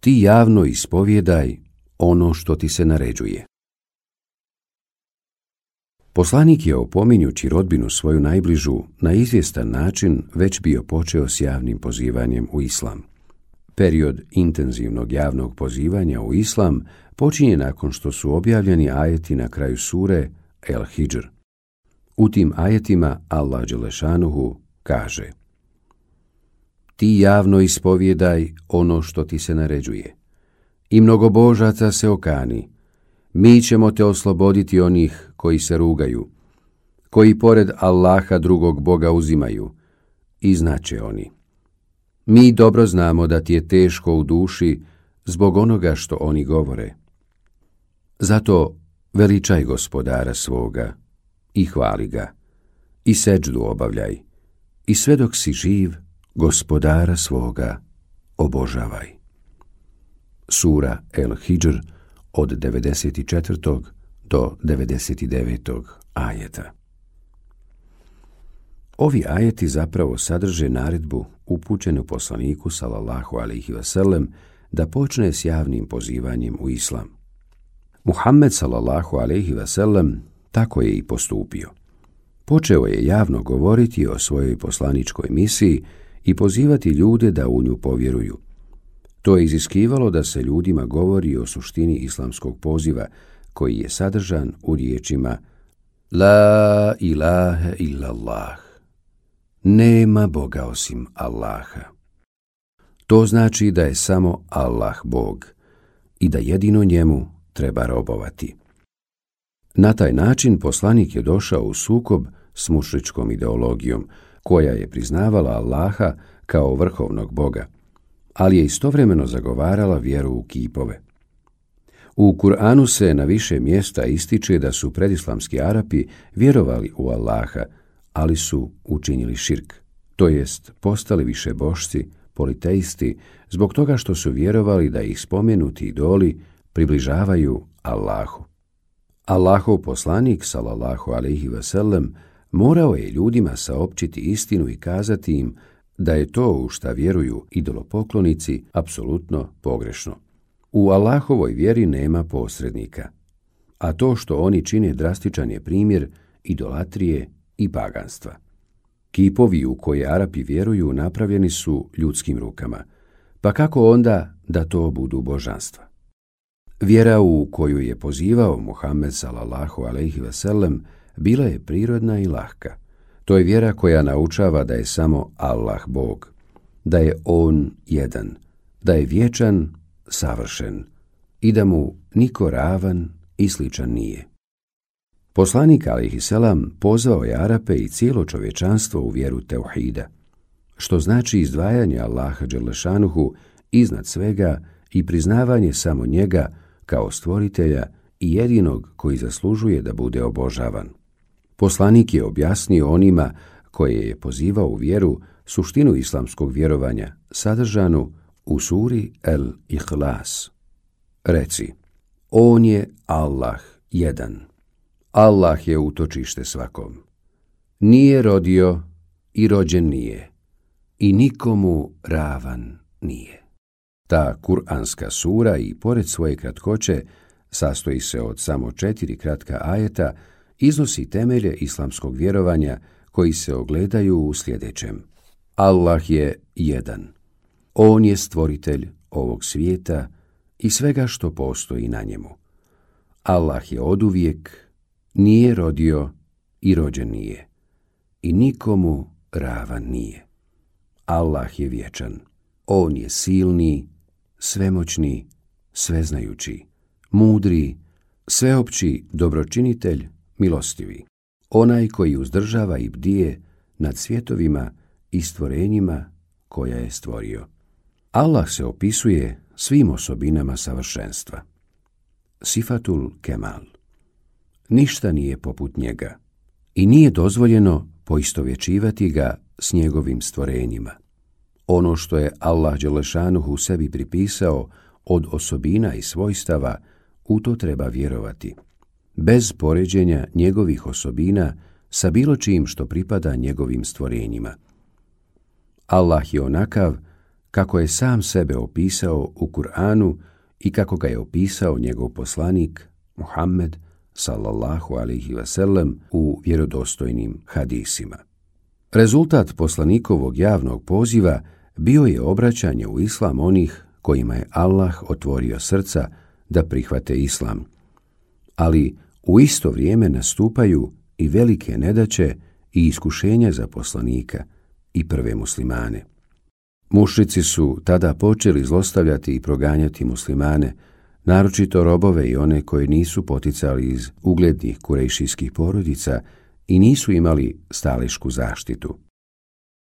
ti javno ispovjedaj ono što ti se naređuje. Poslanik je, opominjući rodbinu svoju najbližu, na izvjestan način već bio počeo s javnim pozivanjem u islam. Period intenzivnog javnog pozivanja u islam počinje nakon što su objavljeni ajeti na kraju sure El Hidžr. U tim ajetima Allah dželešanuhu kaže: ti javno ispovjedaj ono što ti se naređuje. I mnogobožaca se okani, mi ćemo te osloboditi onih koji se rugaju, koji pored Allaha drugog Boga uzimaju, i znače oni: mi dobro znamo da ti je teško u duši zbog onoga što oni govore. Zato veličaj Gospodara svoga i hvali ga, i seđdu obavljaj, i sve dok si živ, Gospodara svoga obožavaj. Sura El Hidžr od 94. do 99. ajeta. Ovi ajeti zapravo sadrže naredbu upućenu poslaniku sallallahu alejhi ve sellem da počne s javnim pozivanjem u islam. Muhammed sallallahu alejhi ve sellem tako je i postupio. Počeo je javno govoriti o svojoj poslaničkoj misiji i pozivati ljude da u nju povjeruju. To je iziskivalo da se ljudima govori o suštini islamskog poziva, koji je sadržan u riječima La ilaha illallah. Nema Boga osim Allaha. To znači da je samo Allah Bog i da jedino njemu treba robovati. Na taj način poslanik je došao u sukob s mušričkom ideologijom, koja je priznavala Allaha kao vrhovnog Boga, ali je istovremeno zagovarala vjeru u kipove. U Kur'anu se na više mjesta ističe da su predislamski Arapi vjerovali u Allaha, ali su učinili širk, to jest postali višebošci, politeisti, zbog toga što su vjerovali da ih spomenuti idoli približavaju Allahu. Allahov poslanik, sallallahu alejhi ve sellem, morao je ljudima saopćiti istinu i kazati im da je to u šta vjeruju idolopoklonici apsolutno pogrešno. U Allahovoj vjeri nema posrednika, a to što oni čine drastičan je primjer idolatrije i paganstva. Kipovi u koje Arapi vjeruju napravljeni su ljudskim rukama, pa kako onda da to budu božanstva? Vjera u koju je pozivao Muhammed sallallahu alejhi ve sellem bila je prirodna i lahka. To je vjera koja naučava da je samo Allah Bog, da je On jedan, da je vječan, savršen i da mu niko ravan i sličan nije. Poslanik alejhiselam pozvao je Arape i cijelo čovječanstvo u vjeru teuhida, što znači izdvajanje Allaha dželešanuhu iznad svega i priznavanje samo njega kao stvoritelja i jedinog koji zaslužuje da bude obožavan. Poslanik je objasnio onima koje je pozivao u vjeru suštinu islamskog vjerovanja sadržanu u suri El Ihlas. Reci: On je Allah jedan. Allah je utočište svakom. Nije rodio i rođen nije. I nikomu ravan nije. Ta kuranska sura i pored svoje kratkoće sastoji se od samo 4 kratka ajeta, iznosi temelje islamskog vjerovanja koji se ogledaju u sljedećem. Allah je jedan. On je stvoritelj ovog svijeta i svega što postoji na njemu. Allah je oduvijek, nije rodio i rođen nije. I nikomu ravan nije. Allah je vječan. On je silni, svemoćni, sveznajući, mudri, sveopći dobročinitelj, milostivi. Onaj koji uzdržava i bdije nad svjetovima i stvorenjima koja je stvorio. Allah se opisuje svim osobinama savršenstva. Sifatul Kemal. Ništa nije poput njega i nije dozvoljeno poistovjećivati ga s njegovim stvorenjima. Ono što je Allah dželešanuhu sebi pripisao od osobina i svojstava, u to treba vjerovati, bez poređenja njegovih osobina sa bilo čim što pripada njegovim stvorenjima. Allah je onakav kako je sam sebe opisao u Kur'anu i kako ga je opisao njegov poslanik Muhammed sallallahu alejhi ve sellem u vjerodostojnim hadisima. Rezultat poslanikovog javnog poziva bio je obraćanje u islam onih kojima je Allah otvorio srca da prihvate islam, ali u isto vrijeme nastupaju i velike nedaće i iskušenja za poslanika i prve muslimane. Mušrici su tada počeli zlostavljati i proganjati muslimane, naročito robove i one koji nisu poticali iz uglednih kurejšijskih porodica i nisu imali stalešku zaštitu.